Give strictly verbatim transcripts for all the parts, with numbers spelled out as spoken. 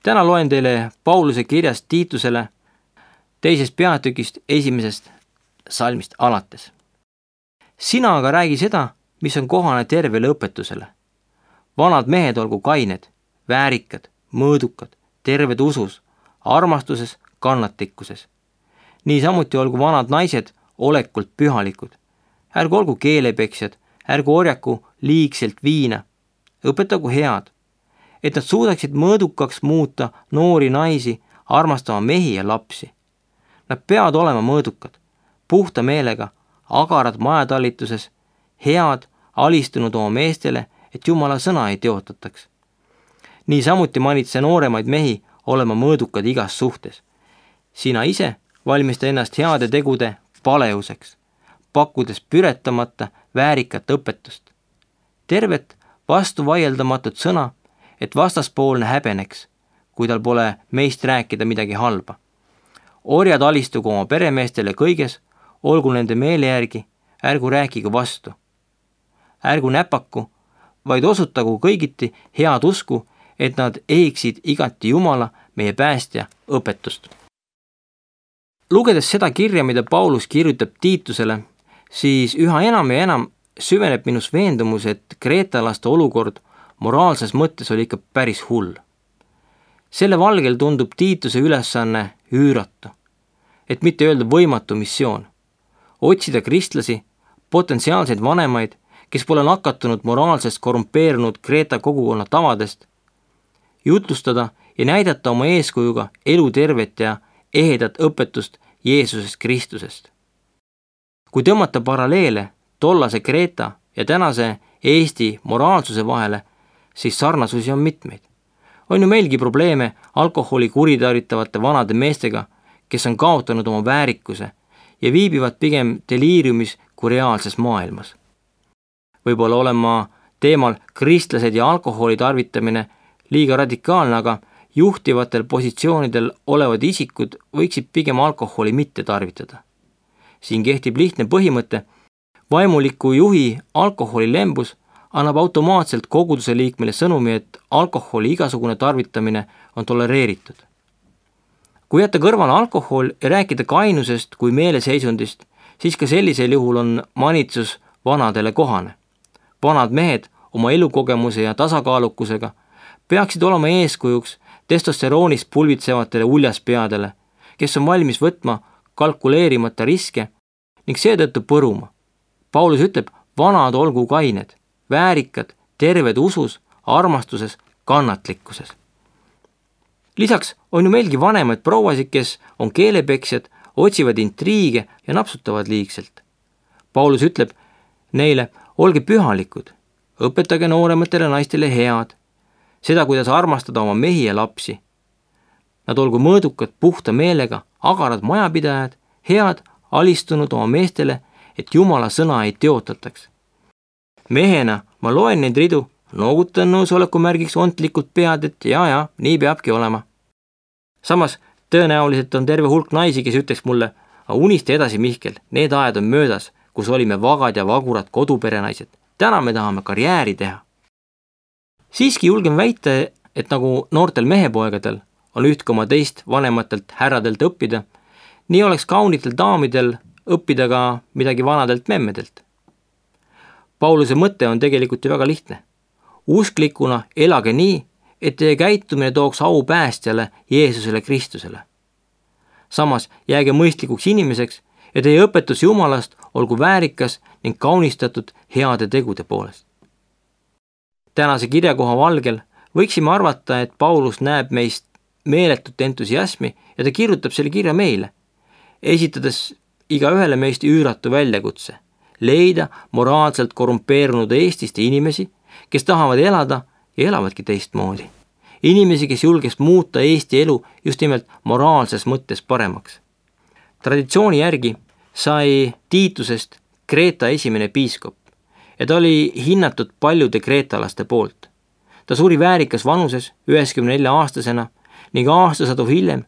Täna loen teile Pauluse kirjast Tiitusele teisest peatükist esimesest salmist alates. Sina aga räägi seda, mis on kohane tervele õpetusele. Vanad mehed olgu kained, väärikad, mõõdukad, terved usus, armastuses, kannatlikkuses. Niisamuti olgu vanad naised olekult pühalikud. Ärgu olgu keelepeksjad, ärgu orjaku liigselt viina, õpetagu head, et nad suudaksid mõõdukaks muuta noori naisi, armastama mehi ja lapsi. Nad peavad olema mõõdukad, puhta meelega, agarad majatallituses, head, alistunud oma meestele, et Jumala sõna ei teotataks. Niisamuti manitse nooremaid mehi olema mõõdukad igas suhtes. Sina ise valmista ennast heade tegude paleuseks, pakkudes püretamata väärikat õpetust. Tervet vastu vaieldamatut sõna, et vastaspoolne häbeneks, kui tal pole meist rääkida midagi halba. Orjad alistugu oma peremeestele kõiges, olgu nende meele järgi, ärgu rääkigu vastu. Ärgu näpaku, vaid osutagu kõigiti head usku, et nad ehiksid igati Jumala, meie päästja, õpetust. Lugedes seda kirja, mida Paulus kirjutab Tiitusele, siis üha enam ja enam süveneb minus veendumus, et kreetalaste olukord moraalses mõttes oli ikka päris hull. Selle valgel tundub Tiituse ülesanne üüratu, et mitte öelda võimatu missioon. Otsida kristlasi, potentsiaalseid vanemaid, kes pole nakatunud moraalsest korrumpeerunud Kreeta kogukonna tavadest, jutlustada ja näidata oma eeskujuga elutervet ja ehedat õpetust Jeesusest Kristusest. Kui tõmmata paralleele tollase Kreeta ja tänase Eesti moraalsuse vahele, siis sarnasusi on mitmeid. On ju meilgi probleeme alkoholi kuritarvitavate vanade meestega, kes on kaotanud oma väärikuse ja viibivad pigem deliiriumis kui reaalses maailmas. Võib-olla olen ma teemal kristlased ja alkoholi tarvitamine liiga radikaalne, aga juhtivatel positsioonidel olevad isikud võiksid pigem alkoholi mitte tarvitada. Siin kehtib lihtne põhimõte, vaimuliku juhi alkoholilembus annab automaatselt koguduse liikmele sõnumi, et alkoholi igasugune tarvitamine on tolereeritud. Kui jätta kõrvale alkohol ja rääkida kainusest kui meeleseisundist, siis ka sellisel juhul on manitsus vanadele kohane. Vanad mehed oma elukogemuse ja tasakaalukusega peaksid olema eeskujuks testosteroonist pulbitsevatele uljaspeadele, kes on valmis võtma kalkuleerimata riske ning seetõttu põruma. Paulus ütleb, vanad olgu kained, väärikad, terved usus, armastuses, kannatlikkuses. Lisaks on ju meilgi vanemaid prouasid, kes on keelepeksjad, otsivad intriige ja napsutavad liigselt. Paulus ütleb neile, olge pühalikud, õpetage noorematele naistele head, seda, kuidas armastada oma mehi ja lapsi. Nad olgu mõõdukad puhta meelega, agarad majapidajad, head, alistunud oma meestele, et Jumala sõna ei teotataks. Mehena ma loen neid ridu, noogutan nõusoleku märgiks ontlikult pead, et jaa, jaa, nii peabki olema. Samas tõenäoliselt on terve hulk naisi, kes ütleks mulle, unista edasi, Mihkel, need ajad on möödas, kus olime vagad ja vagurad koduperenaised. Täna me tahame karjääri teha. Siiski julgen väita, et nagu noortel mehepoegadel on üht koma teist vanematelt härradelt õppida, nii oleks kaunitel daamidel õppida ka midagi vanadelt memmedelt. Pauluse mõte on tegelikult ju väga lihtne. Usklikuna elage nii, et teie käitumine tooks au päästjale Jeesusele Kristusele. Samas jääge mõistlikuks inimeseks ja teie õpetus Jumalast olgu väärikas ning kaunistatud heade tegude poolest. Tänase kirjakoha valgel võiksime arvata, et Paulus näeb meist meeletut entusiasmi ja ta kirjutab selle kirja meile, esitades iga ühele meist üüratu väljakutse, leida moraalselt korrumpeerunud Eestist inimesi, kes tahavad elada ja elavadki teistmoodi. Inimesi, kes julges muuta Eesti elu just nimelt moraalses mõttes paremaks. Traditsiooni järgi sai Tiitusest Kreeta esimene piiskop ja ta oli hinnatud paljude kreetalaste poolt. Ta suri väärikas vanuses üheksakümne nelja aastasena ning aastasadu hiljem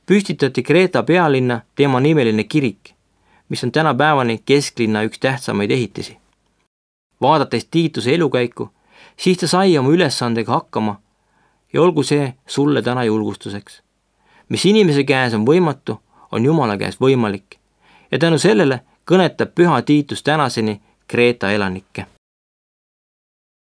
püstitati Kreeta pealinna tema nimeline kirik, mis on tänapäevani kesklinna üks tähtsamaid ehitisi. Vaadates Tiituse elukäiku, siis ta sai oma ülesandega hakkama ja olgu see sulle täna julgustuseks. Mis inimese käes on võimatu, on Jumala käes võimalik ja tänu sellele kõnetab püha Tiitus tänaseni Kreeta elanikke.